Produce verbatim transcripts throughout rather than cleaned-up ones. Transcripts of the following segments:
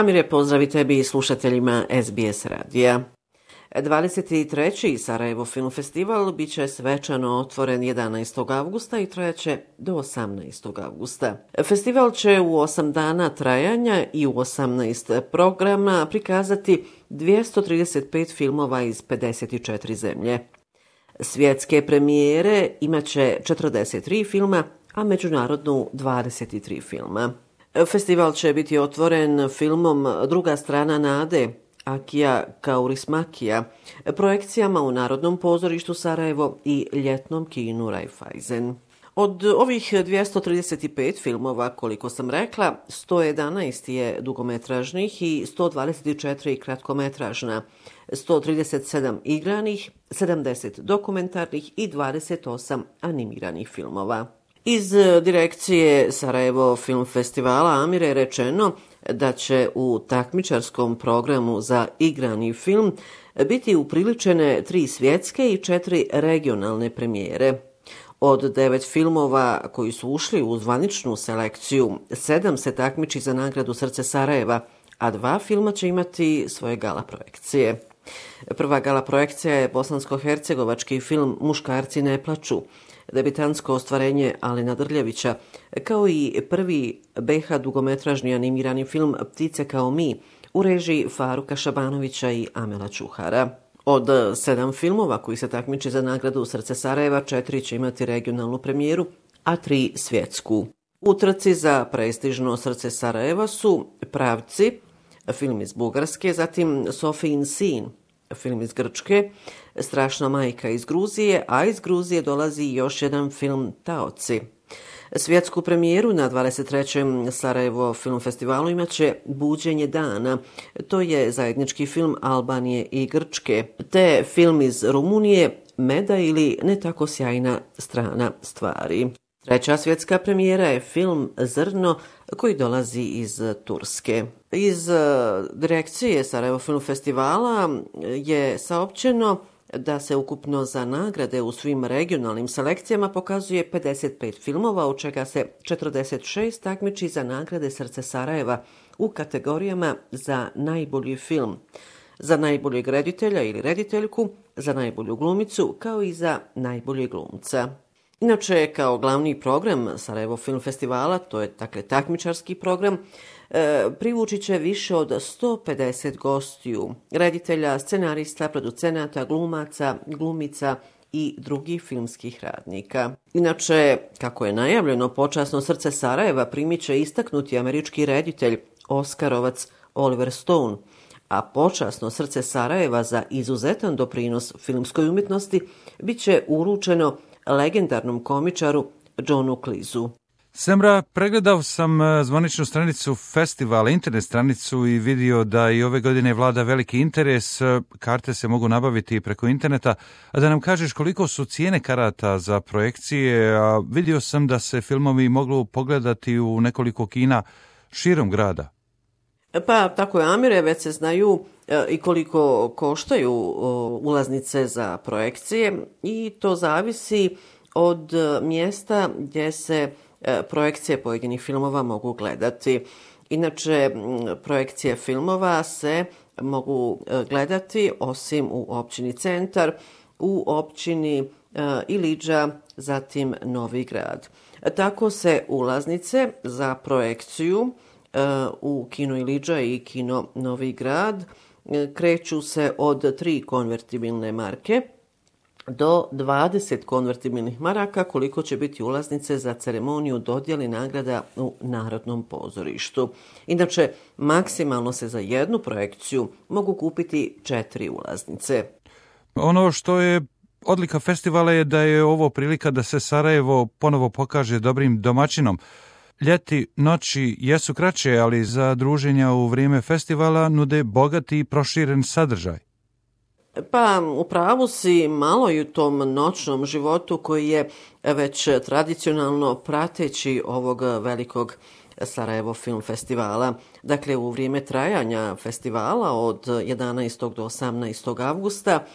Amire, pozdravi tebi i slušateljima S B S radija. dvadeset treći Sarajevo Film Festival bit će svečano otvoren jedanaestog avgusta i trajaće do osamnaestog avgusta. Festival će u osam dana trajanja i u osamnaest programa prikazati dvjesto trideset pet filmova iz pedeset četiri zemlje. Svjetske premijere imaće četrdeset tri filma, a međunarodnu dvadeset tri filma. Festival će biti otvoren filmom Druga strana nade, Akija Kaurismäkija, projekcijama u Narodnom pozorištu Sarajevo i ljetnom kinu Raiffeisen. Od ovih dvjesto trideset pet filmova, koliko sam rekla, sto jedanaest je dugometražnih i sto dvadeset četiri kratkometražna, sto trideset sedam igranih, sedamdeset dokumentarnih i dvadeset osam animiranih filmova. Iz direkcije Sarajevo Film Festivala Amire je rečeno da će u takmičarskom programu za igrani film biti upriličene tri svjetske i četiri regionalne premijere. Od devet filmova koji su ušli u zvaničnu selekciju, sedam se takmiči za nagradu Srce Sarajeva, a dva filma će imati svoje gala projekcije. Prva gala projekcija je bosansko-hercegovački film Muškarci ne plaču, debitansko ostvarenje Alena Drljevića, kao i prvi B H dugometražni animirani film Ptice kao mi u režiji Faruka Šabanovića i Amela Čuhara. Od sedam filmova koji se takmiče za nagradu Srce Sarajeva, četiri će imati regionalnu premijeru, a tri svjetsku. U trci za prestižno Srce Sarajeva su Pravci, film iz Bugarske, zatim Sofijin sin, film iz Grčke, Strašna majka iz Gruzije, a iz Gruzije dolazi još jedan film Taoci. Svjetsku premijeru na dvadeset trećem Sarajevo Film Festivalu imaće Buđenje dana. To je zajednički film Albanije i Grčke, te film iz Rumunije Meda ili Ne tako sjajna strana stvari. Treća svjetska premijera je film Zrno koji dolazi iz Turske. Iz direkcije Sarajevo Film Festivala je saopćeno da se ukupno za nagrade u svim regionalnim selekcijama pokazuje pedeset pet filmova, od čega se četrdeset šest takmiči za nagrade Srce Sarajeva u kategorijama za najbolji film, za najboljeg reditelja ili rediteljku, za najbolju glumicu, kao i za najboljeg glumca. Inače, kao glavni program Sarajevo Film Festivala, to je dakle takmičarski program, e, privući će više od sto pedeset gostiju, reditelja, scenarista, producenata, glumaca, glumica i drugih filmskih radnika. Inače, kako je najavljeno, počasno Srce Sarajeva primit će istaknuti američki reditelj, Oskarovac Oliver Stone, a počasno Srce Sarajeva za izuzetan doprinos filmskoj umjetnosti bit će uručeno legendarnom komičaru Johnu Cleeseu. Semra, pregledao sam zvaničnu stranicu festivala, internet stranicu i vidio da i ove godine vlada veliki interes. Karte se mogu nabaviti preko interneta. A da nam kažeš koliko su cijene karata za projekcije, a vidio sam da se filmovi mogu pogledati u nekoliko kina širom grada. Pa tako je, Amire, već se znaju i koliko koštaju ulaznice za projekcije i to zavisi od mjesta gdje se projekcije pojedinih filmova mogu gledati. Inače, projekcije filmova se mogu gledati osim u općini Centar, u općini Ilidža, zatim Novi Grad. Tako se ulaznice za projekciju u kino Ilidža i kino Novi Grad kreću se od tri konvertibilne marke do dvadeset konvertibilnih maraka, koliko će biti ulaznice za ceremoniju dodjele nagrada u Narodnom pozorištu. Inače, maksimalno se za jednu projekciju mogu kupiti četiri ulaznice. Ono što je odlika festivala je da je ovo prilika da se Sarajevo ponovo pokaže dobrim domaćinom. Ljeti, noći jesu kraće, ali za druženja u vrijeme festivala nude bogati i proširen sadržaj. Pa, u pravu si, malo i u tom noćnom životu koji je već tradicionalno prateći ovog velikog Sarajevo Film Festivala. Dakle, u vrijeme trajanja festivala od jedanaestog do osamnaestog avgusta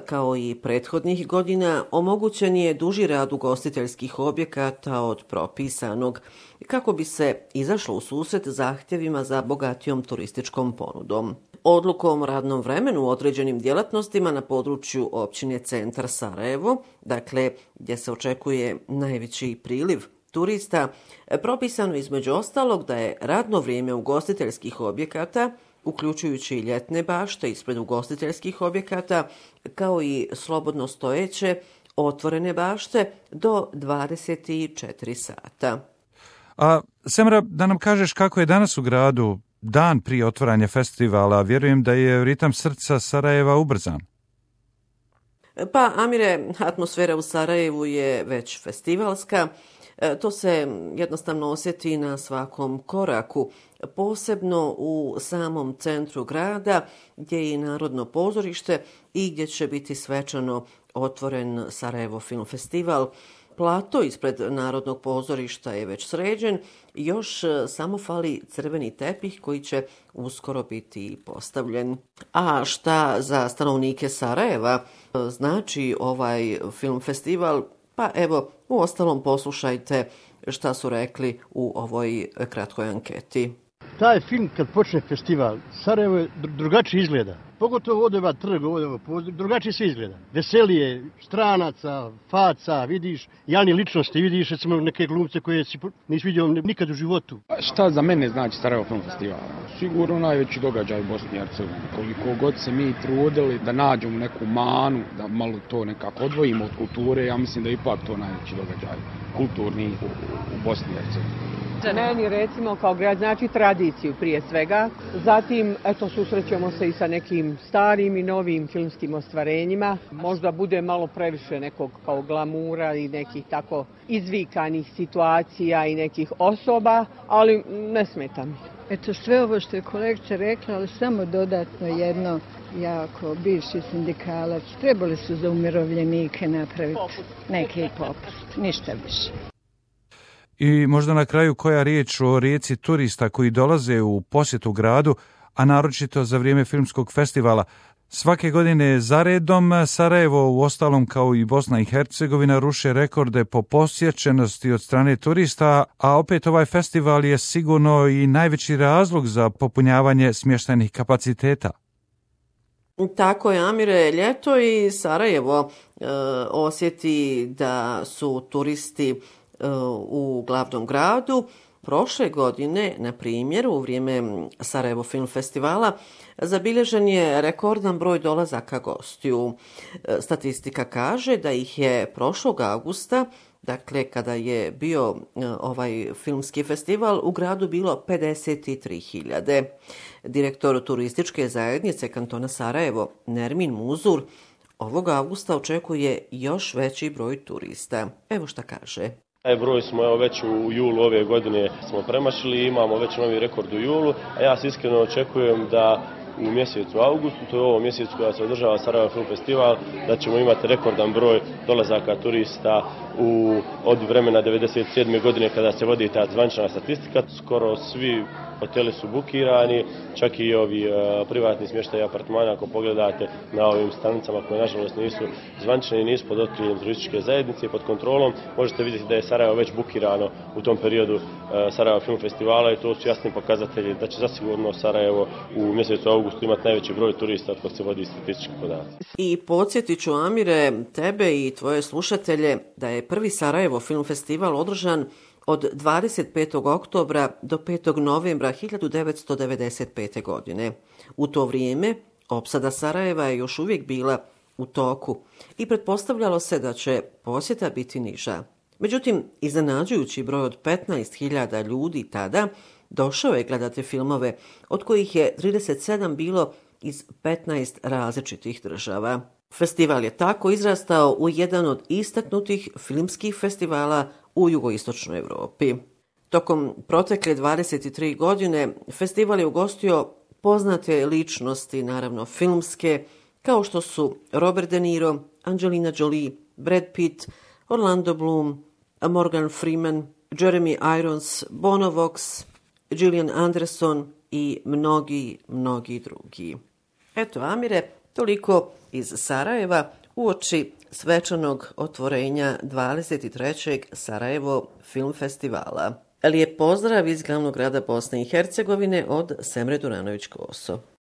Kao i prethodnih godina, omogućen je duži rad ugostiteljskih objekata od propisanog, kako bi se izašlo u susret zahtjevima za bogatijom turističkom ponudom. Odlukom o radnom vremenu u određenim djelatnostima na području općine Centar Sarajevo, dakle gdje se očekuje najveći priliv turista, propisano između ostalog da je radno vrijeme ugostiteljskih objekata, uključujući i ljetne bašte ispred ugostiteljskih objekata, kao i slobodno stojeće otvorene bašte do dvadeset četiri sata. A Semra, da nam kažeš kako je danas u gradu dan prije otvaranja festivala, vjerujem da je ritam srca Sarajeva ubrzan. Pa, Amire, atmosfera u Sarajevu je već festivalska. To se jednostavno osjeti na svakom koraku, posebno u samom centru grada, gdje je i Narodno pozorište i gdje će biti svečano otvoren Sarajevo Film Festival. Plato ispred Narodnog pozorišta je već sređen, još samo fali crveni tepih koji će uskoro biti postavljen. A šta za stanovnike Sarajeva znači ovaj film festival? Pa evo, u ostalom poslušajte šta su rekli u ovoj kratkoj anketi. Taj film kad počne festival, Sarajevo drugačije izgleda. Pogotovo ovdje ima trg, ovdje drugačije se izgleda. Veselije, stranaca, faca, vidiš, javne ličnosti, vidiš recimo neke glumce koje si nisi vidio nikad u životu. Šta za mene znači Sarajevo Film Festival? Sigurno najveći događaj u Bosni i Hercegovini. Koliko god se mi trudili da nađemo neku manu, da malo to nekako odvojimo od kulture, ja mislim da je ipak to najveći događaj kulturni u, u Bosni i Hercegovini. Za meni recimo kao grad znači tradiciju prije svega, zatim eto susrećemo se i sa nekim starim i novim filmskim ostvarenjima, možda bude malo previše nekog kao glamura i nekih tako izvikanih situacija i nekih osoba, ali ne smeta mi. Eto sve ovo što je kolegica rekla, ali samo dodatno jedno, jako bivši sindikalac, trebali su za umirovljenike napraviti neki popust, ništa više. I možda na kraju koja riječ o rijeci turista koji dolaze u posjetu gradu, a naročito za vrijeme filmskog festivala. Svake godine zaredom Sarajevo, u ostalom kao i Bosna i Hercegovina, ruše rekorde po posjećenosti od strane turista, a opet ovaj festival je sigurno i najveći razlog za popunjavanje smještajnih kapaciteta. Tako je, Amire, ljeto i Sarajevo e, osjeti da su turisti u glavnom gradu. Prošle godine, na primjer, u vrijeme Sarajevo Film Festivala, zabilježen je rekordan broj dolazaka gostiju. Statistika kaže da ih je prošlog avgusta, dakle kada je bio ovaj filmski festival, u gradu bilo pedeset tri hiljade. Direktor turističke zajednice kantona Sarajevo, Nermin Muzur, ovog avgusta očekuje još veći broj turista. Evo šta kaže. Taj broj smo evo, već u julu ove godine smo premašili, imamo već novi rekord u julu, a ja se iskreno očekujem da u mjesecu augustu, to je ovo mjesecu koja se održava Sarajevo Film Festival, da ćemo imati rekordan broj dolazaka turista u, od vremena devedeset sedme godine kada se vodi ta zvanična statistika. Skoro svi hoteli su bukirani, čak i ovi uh, privatni smještaji apartmana, ako pogledate na ovim stanicama koje nažalost nisu zvanične i nisu pod okriljem turističke zajednice i pod kontrolom, možete vidjeti da je Sarajevo već bukirano u tom periodu uh, Sarajevo Film Festivala i to su jasni pokazatelji da će zasigurno Sarajevo u mjesecu augustu imati najveći broj turista od kog se vodi statistički podatak. I podsjetit ću, Amire, tebe i tvoje slušatelje da je prvi Sarajevo Film Festival održan od dvadeset petog oktobra do petog novembra hiljadu devetsto devedeset pete. godine. U to vrijeme opsada Sarajeva je još uvijek bila u toku i pretpostavljalo se da će posjeta biti niža. Međutim, iznenađujući broj od petnaest hiljada ljudi tada došao je gledati filmove, od kojih je trideset sedam bilo iz petnaest različitih država. Festival je tako izrastao u jedan od istaknutih filmskih festivala u jugoistočnoj Europi. Tokom protekle dvadeset tri godine festival je ugostio poznate ličnosti, naravno filmske, kao što su Robert De Niro, Angelina Jolie, Brad Pitt, Orlando Bloom, Morgan Freeman, Jeremy Irons, Bono Vox, Gillian Anderson i mnogi, mnogi drugi. Eto, Amire, Toliko iz Sarajeva uoči svečanog otvorenja dvadeset trećeg Sarajevo film festivala. Lijep pozdrav iz glavnog grada Bosne i Hercegovine od Semre Duranović-Koso.